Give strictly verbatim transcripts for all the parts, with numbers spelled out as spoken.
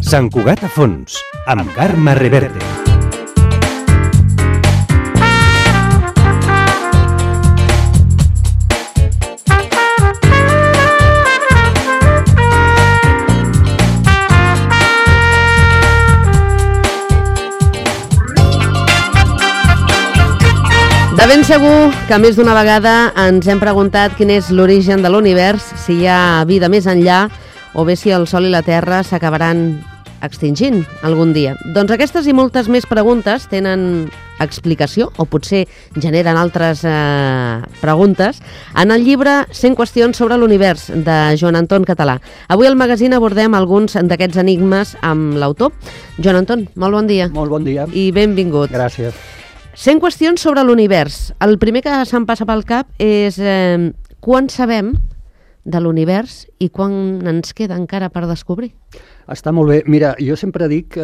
Sant Cugat a fons, amb Carme Reverte. De ben segur que més d'una vegada ens hem preguntat quin és l'origen de l'univers, si hi ha vida més enllà o bé si el Sol i la Terra s'acabaran extingint algun dia. Doncs aquestes i moltes més preguntes tenen explicació, o potser generen altres eh, preguntes, en el llibre cent qüestions sobre l'univers, de Joan Anton Català. Avui al magazín abordem alguns d'aquests enigmes amb l'autor. Joan Anton, molt bon dia. Molt bon dia. I benvingut. Gràcies. cent qüestions sobre l'univers. El primer que se'm passa pel cap és eh, quan sabem de l'univers i quan ens queda encara per descobrir. Està molt bé. Mira, jo sempre dic eh,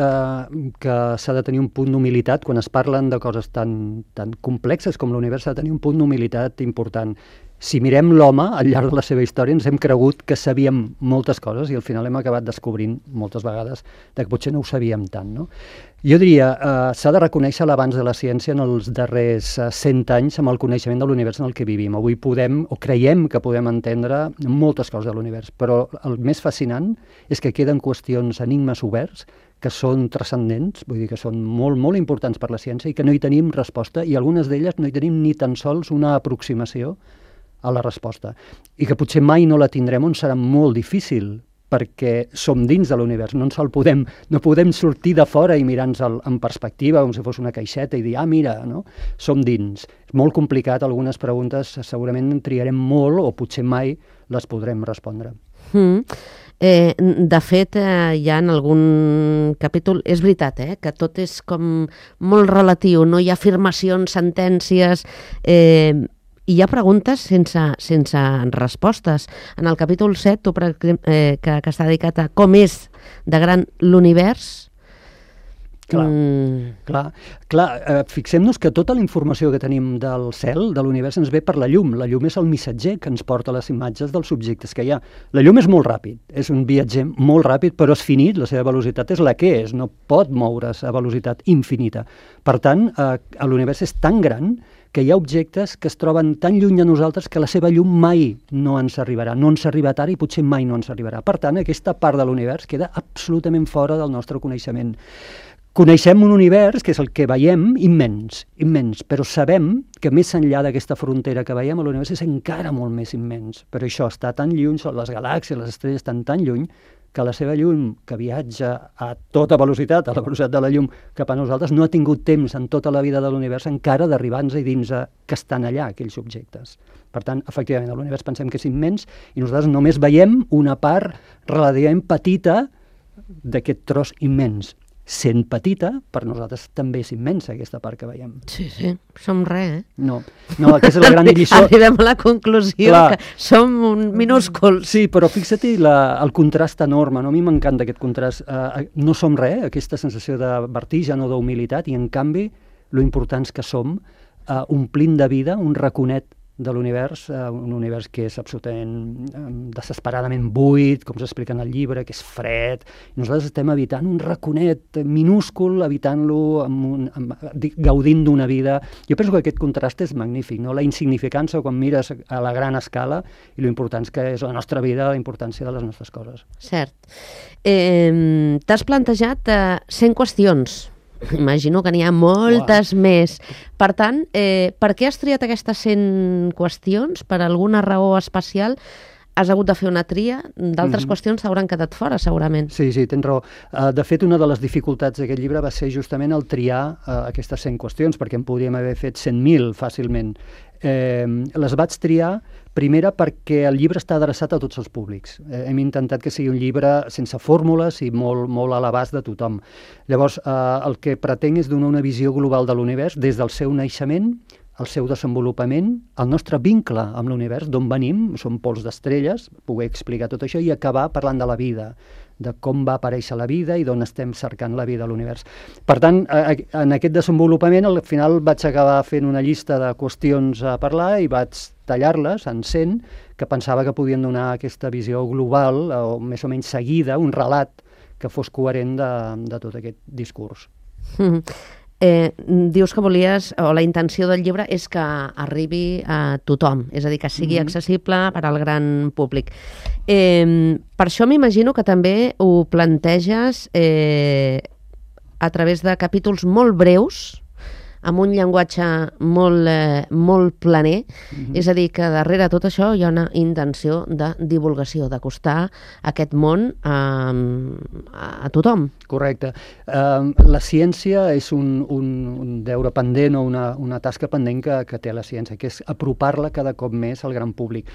que s'ha de tenir un punt d'humilitat. Quan es parlen de coses tan, tan complexes com l'univers, s'ha de tenir un punt d'humilitat important. Si mirem l'home, al llarg de la seva història, ens hem cregut que sabíem moltes coses i al final hem acabat descobrint moltes vegades que potser no ho sabíem tant, no? Jo diria, eh, s'ha de reconèixer l'avanç de la ciència en els darrers eh, cent anys amb el coneixement de l'univers en el que vivim. Avui podem, o creiem que podem entendre moltes coses de l'univers, però el més fascinant és que queden qüestions, enigmes oberts, que són transcendents, vull dir que són molt, molt importants per la ciència i que no hi tenim resposta, i algunes d'elles no hi tenim ni tan sols una aproximació a la resposta, i que potser mai no la tindrem, on serà molt difícil, perquè som dins de l'univers, no ens el podem, no podem sortir de fora i mirar-nos en perspectiva, com si fos una caixeta, i dir, ah, mira, no? Som dins. És molt complicat, algunes preguntes segurament en triarem molt, o potser mai les podrem respondre. Mm. Eh, de fet, eh, hi ha en algun capítol, és veritat, eh, que tot és com molt relatiu, no hi ha afirmacions, sentències, eh, i hi ha preguntes sense, sense respostes. En el capítol set, tu, per exemple, eh, que, que està dedicat a com és de gran l'univers. Clar, mm. clar, clar eh, fixem-nos que tota la informació que tenim del cel, de l'univers, ens ve per la llum. La llum és el missatger que ens porta les imatges dels objectes que hi ha. La llum és molt ràpid, és un viatger molt ràpid, però és finit, la seva velocitat és la que és, no pot moure's a velocitat infinita. Per tant, eh, l'univers és tan gran que hi ha objectes que es troben tan lluny de nosaltres que la seva llum mai no ens arribarà, no ens ha arribat ara i potser mai no ens arribarà. Per tant, aquesta part de l'univers queda absolutament fora del nostre coneixement. Coneixem un univers, que és el que veiem, immens, immens, però sabem que més enllà d'aquesta frontera que veiem, l'univers és encara molt més immens. Però això està tan lluny, les galàxies, les estrelles estan tan lluny, que la seva llum, que viatja a tota velocitat, a la velocitat de la llum cap a nosaltres, no ha tingut temps en tota la vida de l'univers encara d'arribar-nos i dir-nos que estan allà, aquells objectes. Per tant, efectivament, l'univers pensem que és immens i nosaltres només veiem una part relativament petita d'aquest tros immens. Sent petita, per nosaltres també és immensa aquesta part que veiem. Sí, sí, som res, eh? No, no, aquesta és la gran lliçó. Arribem a la conclusió Clar. que som un minúsculs. Sí, però fixa't el contrast enorme, no? A mi m'encanta aquest contrast. Uh, no som res, aquesta sensació de vertigen o d'humilitat, i en canvi, lo importants que som, uh, omplint de vida un raconet de l'univers, eh, un univers que és absolutament eh, desesperadament buit, com s'explica en el llibre, que és fred, i nosaltres estem habitant un raconet minúscul, habitant-lo, amb un, amb, gaudint d'una vida. Jo penso que aquest contrast és magnífic, no? La insignificància quan mires a la gran escala i l'important que és la nostra vida, la importància de les nostres coses. Cert. Eh, T'has plantejat eh, cent qüestions. Imagino que n'hi ha moltes wow. més. Per tant, eh, per què has triat aquestes cent qüestions? Per alguna raó especial? Has hagut de fer una tria? D'altres mm-hmm. qüestions s'hauran quedat fora, segurament. Sí, sí, tens raó. Uh, de fet, una de les dificultats d'aquest llibre va ser justament el triar uh, aquestes cent qüestions, perquè en podríem haver fet cent mil fàcilment. Eh, les vaig triar, primera, perquè el llibre està adreçat a tots els públics. Eh, hem intentat que sigui un llibre sense fórmules i molt, molt a l'abast de tothom. Llavors, eh, el que pretenc és donar una visió global de l'univers des del seu naixement, el seu desenvolupament, el nostre vincle amb l'univers, d'on venim, som pols d'estrelles, poder explicar tot això i acabar parlant de la vida, de com va aparèixer la vida i d'on estem cercant la vida a l'univers. Per tant, en aquest desenvolupament, al final vaig acabar fent una llista de qüestions a parlar i vaig tallar-les en cent, que pensava que podien donar aquesta visió global, o més o menys seguida, un relat que fos coherent de, de tot aquest discurs. Mm. Eh, dius que volies, o la intenció del llibre és que arribi a tothom, és a dir, que sigui mm-hmm. accessible per al gran públic. Eh, per això m'imagino que també ho planteges eh, a través de capítols molt breus, amb un llenguatge molt, eh, molt planer, mm-hmm. és a dir, que darrere tot això hi ha una intenció de divulgació, d'acostar aquest món a, a tothom. Correcte. Uh, la ciència és un, un, un deure pendent o una, una tasca pendent que, que té la ciència, que és apropar-la cada cop més al gran públic.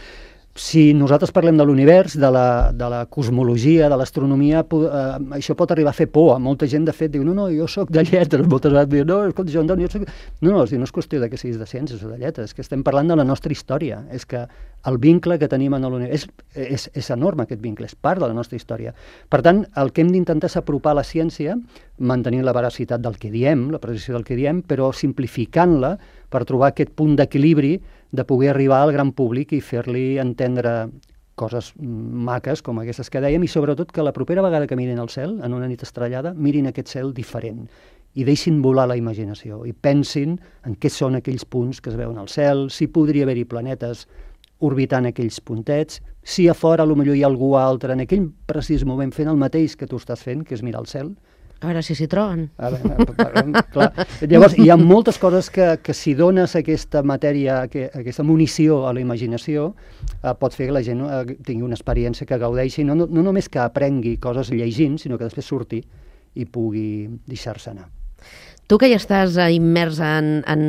Si nosaltres parlem de l'univers, de la, de la cosmologia, de l'astronomia, eh, això pot arribar a fer por. Molta gent, de fet, diu, no, no, jo sóc de lletres. Moltes vegades diu, no, escolta, jo, jo soc... No, no, no és qüestió de que siguis de ciències o de lletres, és que estem parlant de la nostra història. És que el vincle que tenim en l'univers és, és, és enorme, aquest vincle, és part de la nostra història. Per tant, el que hem d'intentar és apropar la ciència, mantenint la veracitat del que diem, la precisió del que diem, però simplificant-la per trobar aquest punt d'equilibri de poder arribar al gran públic i fer-li entendre coses maques com aquestes que dèiem, i sobretot que la propera vegada que mirin al cel, en una nit estrellada, mirin aquest cel diferent i deixin volar la imaginació i pensin en què són aquells punts que es veuen al cel, si podria haver-hi planetes orbitant aquells puntets, si a fora potser hi ha algú altre en aquell precís moment fent el mateix que tu estàs fent, que és mirar al cel. A veure si s'hi troben. A veure, clar. Llavors, hi ha moltes coses que, que si dones aquesta matèria, que, aquesta munició a la imaginació, eh, pot fer que la gent eh, tingui una experiència que gaudeixi, no, no, no només que aprengui coses llegint, sinó que després surti i pugui deixar-se anar. Tu que ja estàs immers en, en,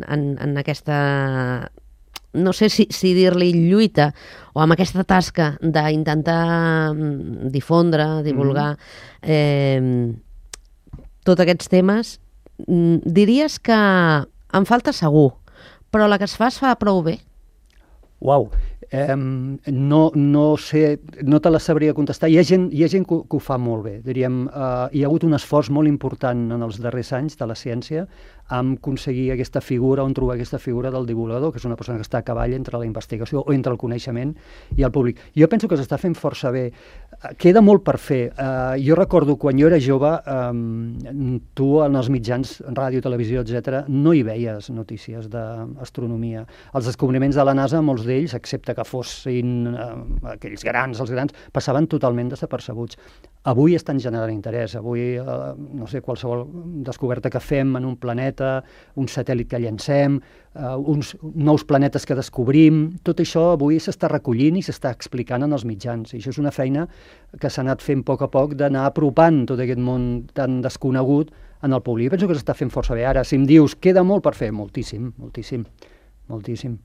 en, en aquesta... no sé si, si dir-li lluita, o amb aquesta tasca d'intentar difondre, divulgar mm. eh, tots aquests temes, diries que en falta segur, però la que es fa es fa prou bé? Uau, eh, no, no sé, no te la sabria contestar. Hi ha gent, hi ha gent que, que ho fa molt bé. Diríem, eh, hi ha hagut un esforç molt important en els darrers anys de la ciència en aconseguir aquesta figura, on trobar aquesta figura del divulgador, que és una persona que està a cavall entre la investigació o entre el coneixement i el públic. Jo penso que s'està fent força bé. Queda molt per fer. Uh, jo recordo quan jo era jove, um, tu en els mitjans, ràdio, televisió, etcètera, no hi veies notícies d'astronomia. Els descobriments de la NASA, molts d'ells, excepte que fossin uh, aquells grans, els grans, passaven totalment desapercebuts. Avui estan generant interès. Avui, uh, no sé, qualsevol descoberta que fem en un planeta, un satèl·lit que llancem, uh, uns nous planetes que descobrim, tot això avui s'està recollint i s'està explicant en els mitjans. I això és una feina que s'ha anat fent a poc a poc d'anar apropant tot aquest món tan desconegut en el públic. Penso que s'està fent força bé. Ara, si em dius, queda molt per fer, moltíssim, moltíssim, moltíssim.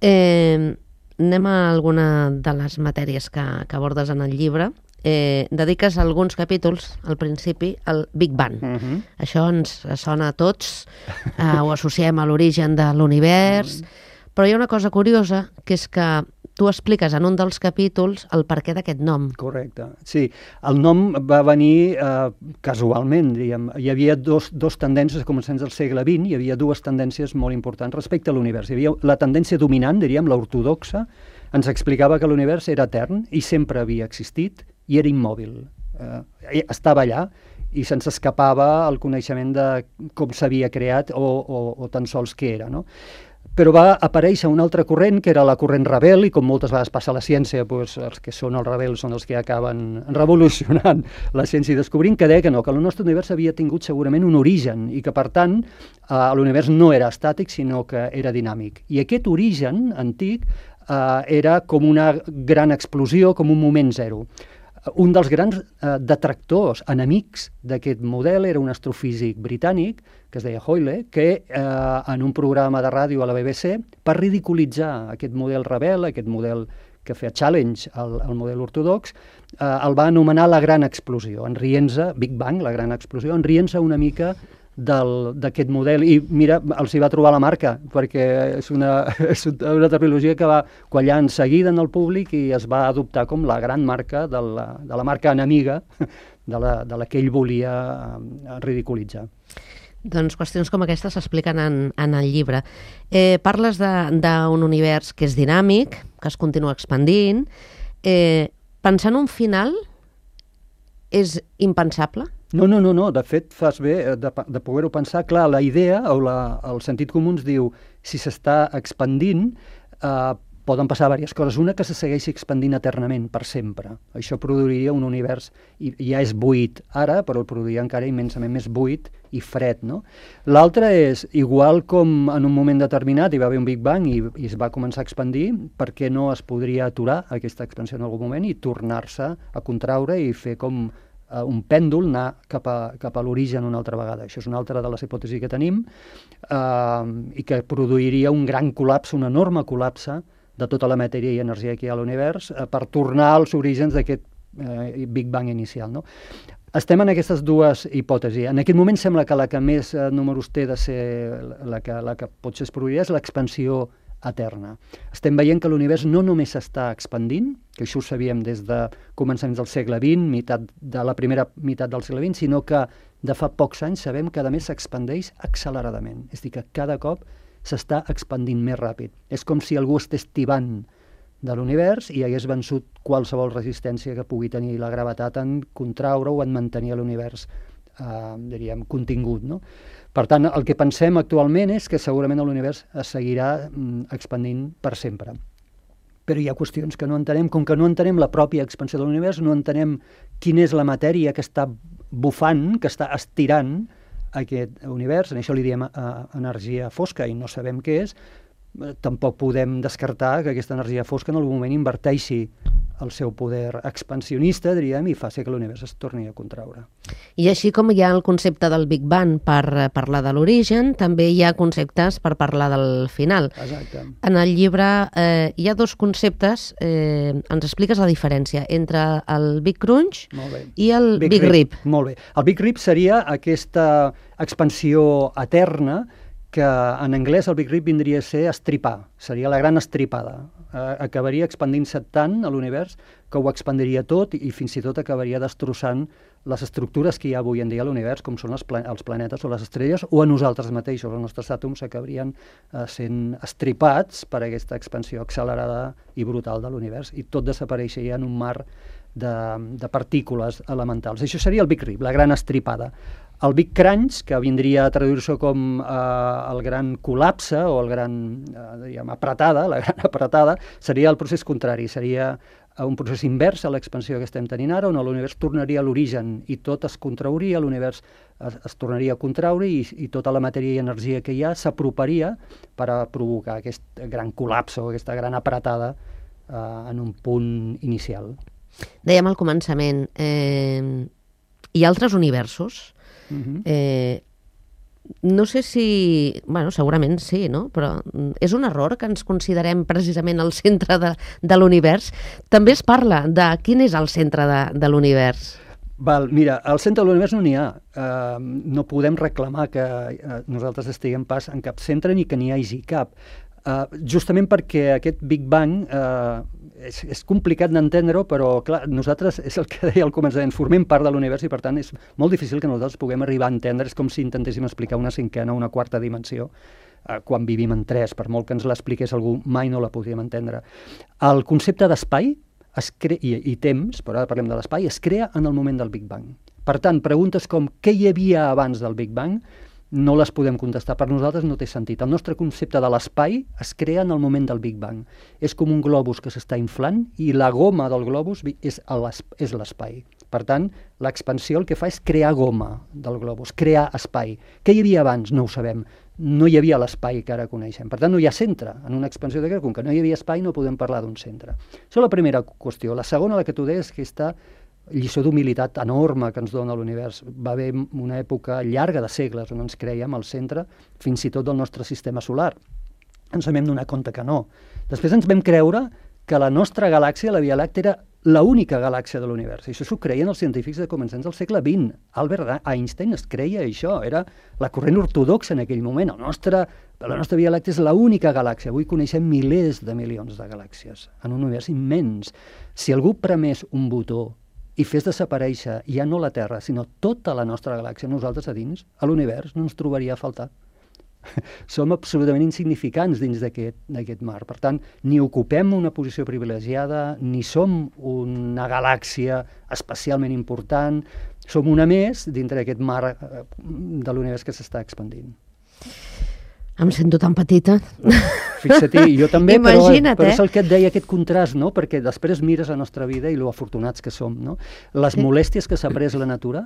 Eh, anem a alguna de les matèries que, que abordes en el llibre. Eh, dediques alguns capítols, al principi, al Big Bang. Uh-huh. Això ens sona a tots, eh, ho associem a l'origen de l'univers, uh-huh. però hi ha una cosa curiosa, que és que tu expliques en un dels capítols el perquè d'aquest nom. Correcte, sí. El nom va venir eh, casualment, diríem. Hi havia dos, dos tendències, a començaments del segle vint, hi havia dues tendències molt importants respecte a l'univers. Hi havia la tendència dominant, diríem, l'ortodoxa, ens explicava que l'univers era etern i sempre havia existit, i era immòbil. Eh, estava allà i se'ns escapava el coneixement de com s'havia creat o, o, o tan sols què era, no? Però va aparèixer un altre corrent, que era la corrent rebel, i com moltes vegades passa a la ciència, doncs, els que són els rebels són els que acaben revolucionant la ciència i descobrint que deia que no, que el nostre univers havia tingut segurament un origen i que, per tant, eh, l'univers no era estàtic, sinó que era dinàmic. I aquest origen antic eh, era com una gran explosió, com un moment zero. Un dels grans eh, detractors, enemics d'aquest model, era un astrofísic britànic, que es deia Hoyle, que eh, en un programa de ràdio a la B B C, per ridiculitzar aquest model rebel, aquest model que feia challenge al, al model ortodox, eh, el va anomenar la gran explosió, enrient-se, Big Bang, la gran explosió, enrient-se una mica d'aquest model, i mira, els hi va trobar la marca, perquè és una, és una terminologia que va quallar en seguida en el públic i es va adoptar com la gran marca de la, de la marca enemiga de la, de la que ell volia ridiculitzar. Doncs qüestions com aquestes s'expliquen en, en el llibre. Eh, parles d'un univers que és dinàmic, que es continua expandint. Eh, pensant un final, és impensable? No, no, no, no. De fet, fas bé de, de poder-ho pensar. Clar, la idea o la, el sentit comú ens diu si s'està expandint, eh, poden passar diverses coses. Una, que se segueixi expandint eternament, per sempre. Això produiria un univers, i ja és buit ara, però el produiria encara immensament més buit i fred, no? L'altre és, igual com en un moment determinat hi va haver un Big Bang i, i es va començar a expandir, per què no es podria aturar aquesta expansió en algun moment i tornar-se a contraure i fer com uh, un pèndol, anar cap a, cap a l'origen una altra vegada. Això és una altra de les hipòtesis que tenim uh, i que produiria un gran col·lapse, un enorme col·lapse de tota la matèria i energia que hi ha a l'univers uh, per tornar als orígens d'aquest uh, Big Bang inicial, no? Estem en aquestes dues hipòtesis. En aquest moment sembla que la que més uh, números té de ser la que, la que potser es produiria és l'expansió eterna. Estem veient que l'univers no només s'està expandint, que això ho sabíem des de començaments del segle vint, meitat de la primera meitat del segle vint, sinó que de fa pocs anys sabem que a més s'expandeix acceleradament. És a dir, que cada cop s'està expandint més ràpid. És com si algú estés tibant de l'univers i hagués vençut qualsevol resistència que pugui tenir la gravetat en contraure o en mantenir l'univers eh, diríem, contingut, no? Per tant, el que pensem actualment és que segurament l'univers es seguirà mm, expandint per sempre. Però hi ha qüestions que no entenem, com que no entenem la pròpia expansió de l'univers, no entenem quina és la matèria que està bufant, que està estirant aquest univers, en això li diem eh, energia fosca i no sabem què és, tampoc podem descartar que aquesta energia fosca en algun moment inverteixi el seu poder expansionista, diríem, i faci que l'univers es torni a contraure. I així com hi ha el concepte del Big Bang per parlar de l'origen, també hi ha conceptes per parlar del final. Exacte. En el llibre eh, hi ha dos conceptes, eh, ens expliques la diferència entre el Big Crunch i el Big, Big Rip. Rip. Molt bé. El Big Rip seria aquesta expansió eterna que en anglès el Big Rip vindria a ser estripar, seria la gran estripada. Eh, acabaria expandint-se tant a l'univers que ho expandiria tot i fins i tot acabaria destrossant les estructures que hi ha avui en dia a l'univers, com són els, pla els planetes o les estrelles, o a nosaltres mateixos. Els nostres àtoms acabarien eh, sent estripats per aquesta expansió accelerada i brutal de l'univers i tot desapareixeria en un mar de, de partícules elementals. Això seria el Big Rip, la gran estripada. El Big Crunch, que vindria a traduir-se com eh, el gran col·lapse o el gran, eh, diguem, apretada, la gran apretada, seria el procés contrari, seria un procés invers a l'expansió que estem tenint ara, on l'univers tornaria a l'origen i tot es contrauria, l'univers es, es tornaria a contraure i, i tota la matèria i energia que hi ha s'aproparia per a provocar aquest gran col·lapse o aquesta gran apretada eh, en un punt inicial. Dèiem al començament, eh, hi ha altres universos? Uh-huh. eh, no sé si... Bueno, segurament sí, no? Però és un error que ens considerem precisament el centre de, de l'univers. També es parla de quin és el centre de, de l'univers. Val, mira, al centre de l'univers no n'hi ha. Uh, no podem reclamar que uh, nosaltres estiguem pas en cap centre ni que n'hi hagi cap. Uh, justament perquè aquest Big Bang uh, és, és complicat d'entendre-ho, però clar, nosaltres, és el que deia al començament, formem part de l'univers i per tant és molt difícil que nosaltres puguem arribar a entendre, és com si intentéssim explicar una cinquena o una quarta dimensió uh, quan vivim en tres, per molt que ens l'expliqués algú, mai no la podríem entendre. El concepte d'espai es crea, i, i temps, però ara parlem de l'espai, es crea en el moment del Big Bang. Per tant, preguntes com què hi havia abans del Big Bang no les podem contestar. Per nosaltres no té sentit. El nostre concepte de l'espai es crea en el moment del Big Bang. És com un globus que s'està inflant i la goma del globus és l'espai. Per tant, l'expansió el que fa és crear goma del globus, crear espai. Què hi havia abans? No ho sabem. No hi havia l'espai que ara coneixem. Per tant, no hi ha centre. En una expansió de com que no hi havia espai no podem parlar d'un centre. Això és la primera qüestió. La segona, la que tu deies, que està lliçó d'humilitat enorme que ens dona l'univers. Va haver una època llarga de segles on ens creiem al centre, fins i tot del nostre sistema solar. Ens vam donar compte que no. Després ens vam creure que la nostra galàxia, la Via Làctea, era l'única galàxia de l'univers. I això s'ho creien els científics de començaments del segle vint. Albert Einstein es creia això, era la corrent ortodoxa en aquell moment. El nostre, la nostra Via Làctea és l'única galàxia. Avui coneixem milers de milions de galàxies en un univers immens. Si algú premés un botó i fes desaparèixer ja no la Terra, sinó tota la nostra galàxia, nosaltres a dins, a l'univers, no ens trobaria a faltar. som absolutament insignificants dins d'aquest mar. Per tant, ni ocupem una posició privilegiada, ni som una galàxia especialment important, som una més dintre d'aquest mar de l'univers que s'està expandint. Em sento tan petita. Fixa't-hi, jo també, però, Imagina't, però eh? és el que et deia, aquest contrast, no? Perquè després mires la nostra vida i lo afortunats que som, no? Les molèsties que s'ha pres la natura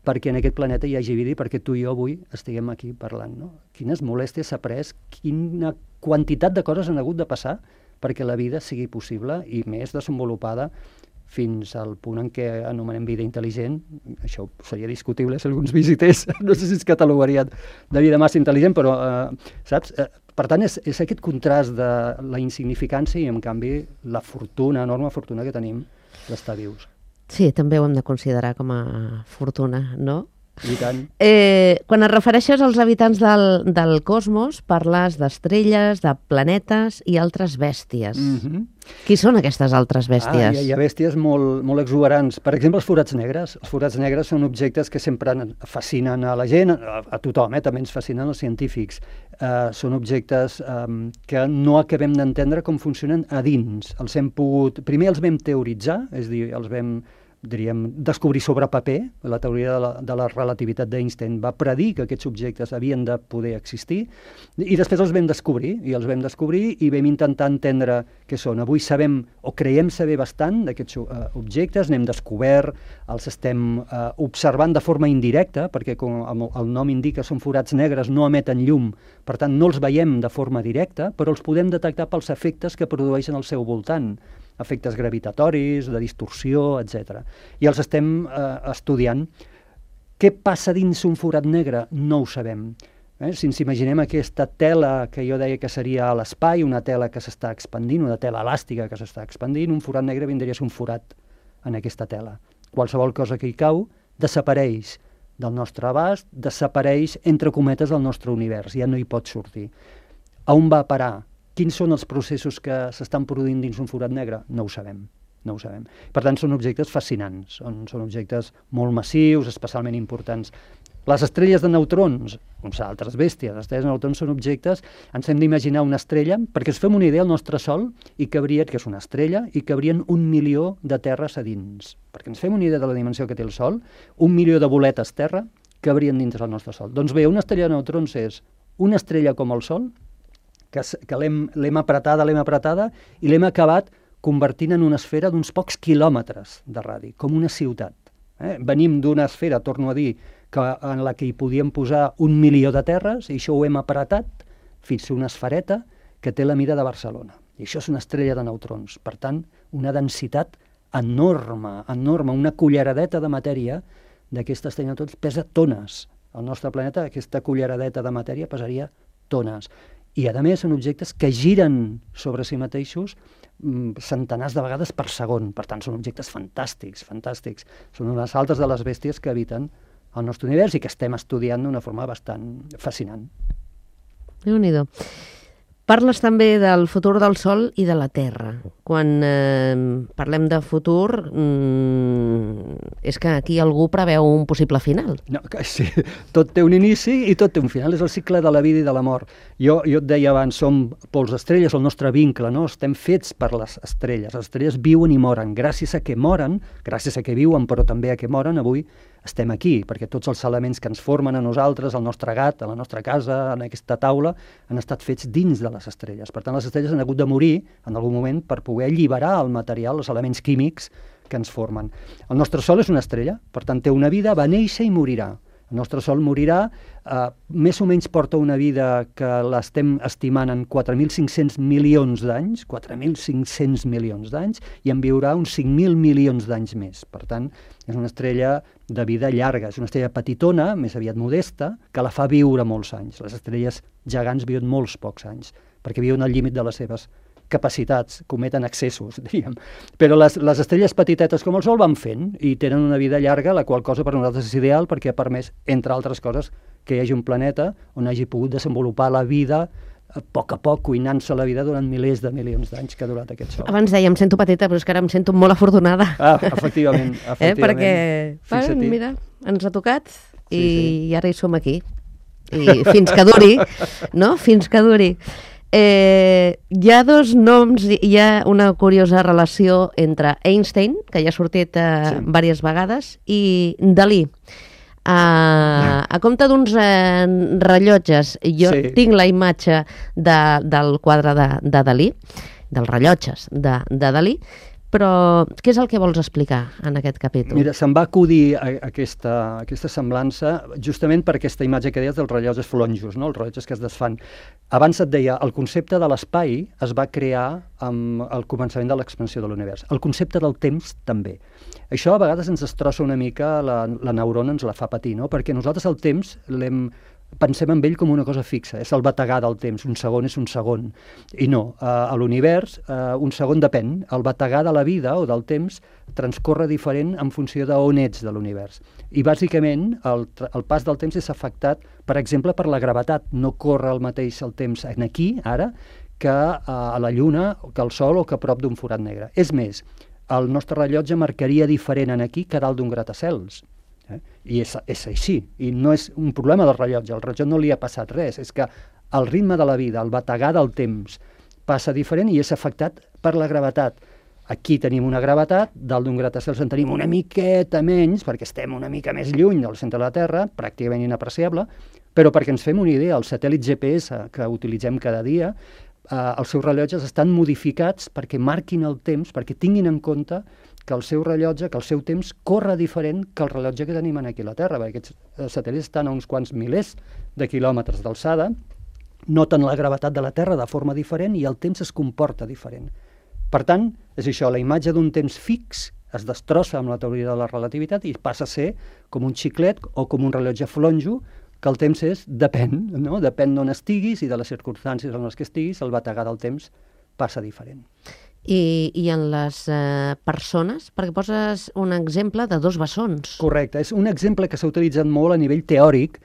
perquè en aquest planeta hi hagi vida i perquè tu i jo avui estiguem aquí parlant, no? Quines molèsties s'ha pres, quina quantitat de coses han hagut de passar perquè la vida sigui possible i més desenvolupada fins al punt en què anomenem vida intel·ligent. Això seria discutible si alguns visités, no sé si es catalogarien de vida massa intel·ligent, però, eh, saps? Eh, per tant, és, és aquest contrast de la insignificància i, en canvi, la fortuna, enorme fortuna que tenim d'estar vius. Sí, també ho hem de considerar com a fortuna, no? I tant. Eh, quan et refereixes als habitants del, del cosmos, parles d'estrelles, de planetes i altres bèsties. Mm-hmm. Qui són aquestes altres bèsties? Ah, hi, ha, hi ha bèsties molt, molt exuberants. Per exemple, els forats negres. Els forats negres són objectes que sempre fascinen a la gent, a, a tothom, eh? També ens fascinen els científics. Uh, són objectes um, que no acabem d'entendre com funcionen a dins. Els hem pogut... Primer els vam teoritzar, és a dir, els vam diríem, descobrir sobre paper. La teoria de la, de la relativitat d'Einstein va predir que aquests objectes havien de poder existir, i després els vam descobrir, i els vam descobrir i vam intentar entendre què són. Avui sabem, o creiem saber bastant d'aquests uh, objectes, n'hem descobert, els estem uh, observant de forma indirecta, perquè com el nom indica, són forats negres, no emeten llum, per tant no els veiem de forma directa, però els podem detectar pels efectes que produeixen al seu voltant, efectes gravitatoris, de distorsió, etcètera. I els estem eh, estudiant. Què passa dins un forat negre? No ho sabem. Eh? Si ens imaginem aquesta tela que jo deia que seria a l'espai, una tela que s'està expandint, una tela elàstica que s'està expandint, un forat negre vindria a ser un forat en aquesta tela. Qualsevol cosa que hi cau desapareix del nostre abast, desapareix, entre cometes, del nostre univers. Ja no hi pot sortir. A on va a parar? Quins són els processos que s'estan produint dins un forat negre? No ho sabem, no ho sabem. Per tant, són objectes fascinants, són, són objectes molt massius, especialment importants. Les estrelles de neutrons, uns altres bèsties, les estrelles de neutrons són objectes, ens hem d'imaginar una estrella, perquè ens fem una idea, el nostre Sol, i cabrien, que és una estrella, i cabrien un milió de terres a dins. Perquè ens fem una idea de la dimensió que té el Sol, un milió de boletes terra cabrien dins del nostre Sol. Doncs bé, una estrella de neutrons és una estrella com el Sol, que, que l'hem apretada, l'hem apretada, i l'hem acabat convertint en una esfera d'uns pocs quilòmetres de radi, com una ciutat. Eh? Venim d'una esfera, torno a dir, que, en la que hi podíem posar un milió de terres, i això ho hem apretat fins a una esfereta que té la mida de Barcelona. I això és una estrella de neutrons. Per tant, una densitat enorme, enorme, una culleradeta de matèria d'aquesta estrella de neutrons pesa tones. Al nostre planeta, aquesta culleradeta de matèria pesaria tones. I, a més, són objectes que giren sobre si mateixos mm, centenars de vegades per segon. Per tant, són objectes fantàstics, fantàstics. Són unes altres de les bèsties que habiten el nostre univers i que estem estudiant d'una forma bastant fascinant. Déu-n'hi-do. Parles també del futur del Sol i de la Terra. Quan eh, parlem de futur, mm, és que aquí algú preveu un possible final. No, sí, tot té un inici i tot té un final. És el cicle de la vida i de la mort. Jo, jo et deia abans, som pols estrelles, el nostre vincle, no? Estem fets per les estrelles. Les estrelles viuen i moren. Gràcies a que moren, gràcies a que viuen, però també a que moren, avui estem aquí, perquè tots els elements que ens formen a nosaltres, al nostre gat, a la nostra casa, en aquesta taula, han estat fets dins de les estrelles. Per tant, les estrelles han hagut de morir en algun moment per poder alliberar el material, els elements químics que ens formen. El nostre Sol és una estrella, per tant, té una vida, va néixer i morirà. El nostre Sol morirà, eh, més o menys porta una vida que l'estem estimant en quatre mil cinc-cents milions d'anys, quatre mil cinc-cents milions d'anys, i en viurà uns cinc mil milions d'anys més. Per tant, és una estrella de vida llarga, és una estrella petitona, més aviat modesta, que la fa viure molts anys. Les estrelles gegants viuen molts pocs anys, perquè viuen al límit de les seves capacitats, cometen excessos, diríem. Però les, les estrelles petitetes com el Sol van fent i tenen una vida llarga, la qual cosa per nosaltres és ideal perquè ha permès, entre altres coses, que hi hagi un planeta on hagi pogut desenvolupar la vida a poc a poc, cuinant-se la vida durant milers de milions d'anys que ha durat aquest Sol. Abans deia, em sento petita, però és que ara em sento molt afortunada. Ah, efectivament, efectivament. Eh? Perquè, bueno, mira, ens ha tocat i, sí, sí. i ara hi som aquí. i fins que duri, no? Fins que duri. Eh, hi ha dos noms, hi ha una curiosa relació entre Einstein, que ja ha sortit eh, sí. diverses vegades, i Dalí. Uh, a compte d'uns eh, rellotges, jo sí. tinc la imatge de, del quadre de, de Dalí, dels rellotges de, de Dalí, però què és el que vols explicar en aquest capítol? Mira, se'm va acudir a, a aquesta, a aquesta semblança justament per aquesta imatge que deies dels rellotges flonjos, no? Els rellotges que es desfan. Abans et deia, el concepte de l'espai es va crear amb el començament de l'expansió de l'univers. El concepte del temps també. Això a vegades ens destrossa una mica, la, la neurona ens la fa patir, no? Perquè nosaltres el temps l'hem... pensem en ell com una cosa fixa, és el bategar del temps, un segon és un segon. I no, eh, a l'univers eh, un segon depèn, el bategar de la vida o del temps transcorre diferent en funció d'on ets de l'univers. I bàsicament el, el pas del temps és afectat, per exemple, per la gravetat. No corre el mateix el temps en aquí, ara, que eh, a la Lluna, que al Sol o que a prop d'un forat negre. És més, el nostre rellotge marcaria diferent en aquí que dalt d'un gratacels. Eh? I és, és així, i no és un problema del rellotge, al rellotge no li ha passat res, és que el ritme de la vida, el bategar del temps passa diferent i és afectat per la gravetat. Aquí tenim una gravetat, dalt d'un gratacels en tenim una miqueta menys, perquè estem una mica més lluny del centre de la Terra, pràcticament inapreciable, però perquè ens fem una idea, els satèl·lits G P S que utilitzem cada dia, eh, els seus rellotges estan modificats perquè marquin el temps, perquè tinguin en compte que el seu rellotge, que el seu temps corre diferent que el rellotge que tenim aquí a la Terra, perquè aquests satèl·lits estan a uns quants milers de quilòmetres d'alçada, noten la gravetat de la Terra de forma diferent i el temps es comporta diferent. Per tant, és això, la imatge d'un temps fix es destrossa amb la teoria de la relativitat i passa a ser com un xiclet o com un rellotge flonjo, que el temps és, depèn, no? Depèn d'on estiguis i de les circumstàncies en les que estiguis, el bategar del temps passa diferent. I, i en les eh, persones, perquè poses un exemple de dos bessons. Correcte, és un exemple que s'ha utilitzat molt a nivell teòric,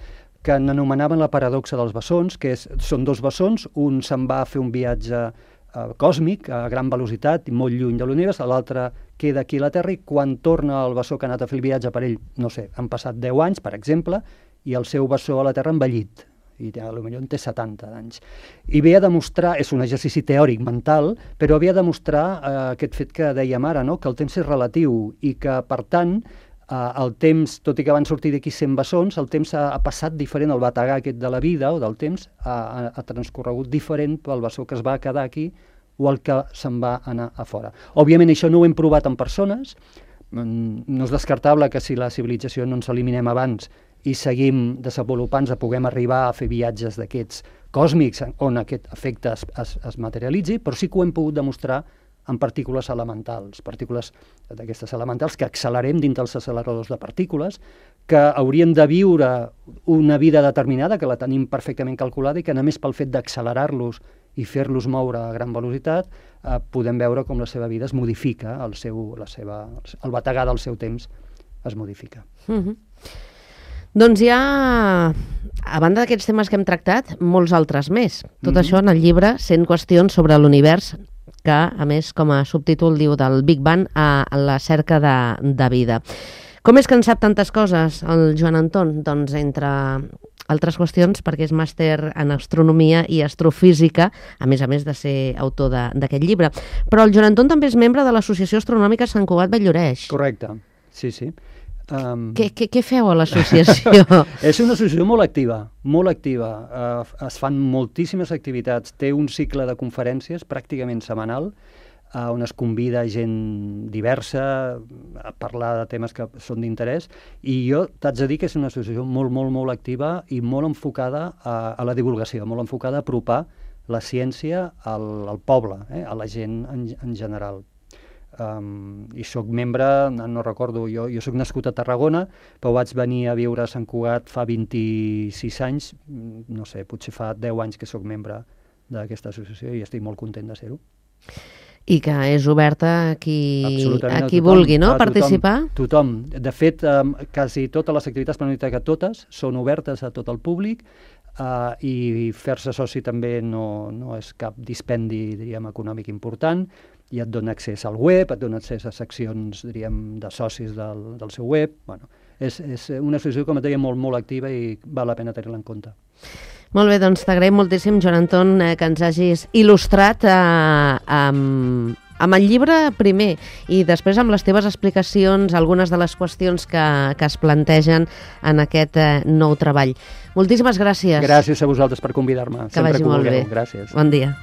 que n'anomenaven la paradoxa dels bessons, que és, són dos bessons, un se'n va a fer un viatge eh, còsmic a gran velocitat i molt lluny de l'univers, l'altre queda aquí a la Terra i quan torna el bessó que ha anat a fer el viatge per ell, no sé, han passat deu anys, per exemple, i el seu bessó a la Terra ha envellit, i potser en té setanta anys. I ve a demostrar, és un exercici teòric mental, però ve a demostrar eh, aquest fet que dèiem ara, no? Que el temps és relatiu i que, per tant, eh, el temps, tot i que van sortir d'aquí cent bessons, el temps ha, ha passat diferent, el bategar aquest de la vida o del temps ha, ha, ha transcorregut diferent pel bessó que es va quedar aquí o el que se'n va anar a fora. Òbviament això no ho hem provat en persones, no és descartable que si la civilització no ens eliminem abans i seguim desenvolupant-nos, puguem arribar a fer viatges d'aquests còsmics on aquest efecte es, es, es materialitzi, però sí que ho hem pogut demostrar en partícules elementals, partícules d'aquestes elementals que accelerem dins dels acceleradors de partícules, que haurien de viure una vida determinada, que la tenim perfectament calculada i que només pel fet d'accelerar-los i fer-los moure a gran velocitat eh, podem veure com la seva vida es modifica, el, seu, la seva, el bategar del seu temps es modifica. Mm-hmm. Doncs hi ha, a banda d'aquests temes que hem tractat, molts altres més. Tot mm-hmm. això en el llibre cent qüestions sobre l'univers, que, a més, com a subtítol diu del Big Bang a la cerca de, de vida. Com és que en sap tantes coses el Joan Anton? Doncs, entre altres qüestions, perquè és màster en astronomia i astrofísica, a més a més de ser autor d'aquest llibre. Però el Joan Anton també és membre de l'Associació Astronòmica Sant Cugat Vall-lloreix. Correcte, sí, sí. Um... Què, què, què feu a l'associació? És una associació molt activa, molt activa. Uh, es fan moltíssimes activitats. Té un cicle de conferències pràcticament setmanal, uh, on es convida gent diversa a parlar de temes que són d'interès. I jo t'haig de dir que és una associació molt, molt, molt activa i molt enfocada a, a la divulgació, molt enfocada a apropar la ciència al, al poble, eh, a la gent en, en general. Um, i sóc membre, no recordo, jo, jo sóc nascut a Tarragona, però vaig venir a viure a Sant Cugat fa vint-i-sis anys, no sé, potser fa deu anys que sóc membre d'aquesta associació i estic molt content de ser-ho. I que és oberta a qui, a qui vulgui, no?, a participar? Tothom. De fet, um, quasi totes les activitats, per no dir que totes, són obertes a tot el públic, uh, i fer-se soci també no, no és cap dispendi, diríem, econòmic important, i et dona accés al web, et dona accés a seccions, diríem, de socis del, del seu web. Bueno, és, és una associació, com et deia, molt, molt activa i val la pena tenir-la en compte. Molt bé, doncs t'agraïm moltíssim, Joan Anton, eh, que ens hagis il·lustrat eh, amb, amb el llibre primer i després amb les teves explicacions algunes de les qüestions que, que es plantegen en aquest eh, nou treball. Moltíssimes gràcies. Gràcies a vosaltres per convidar-me. Que vagi molt bé. Gràcies. Bon dia.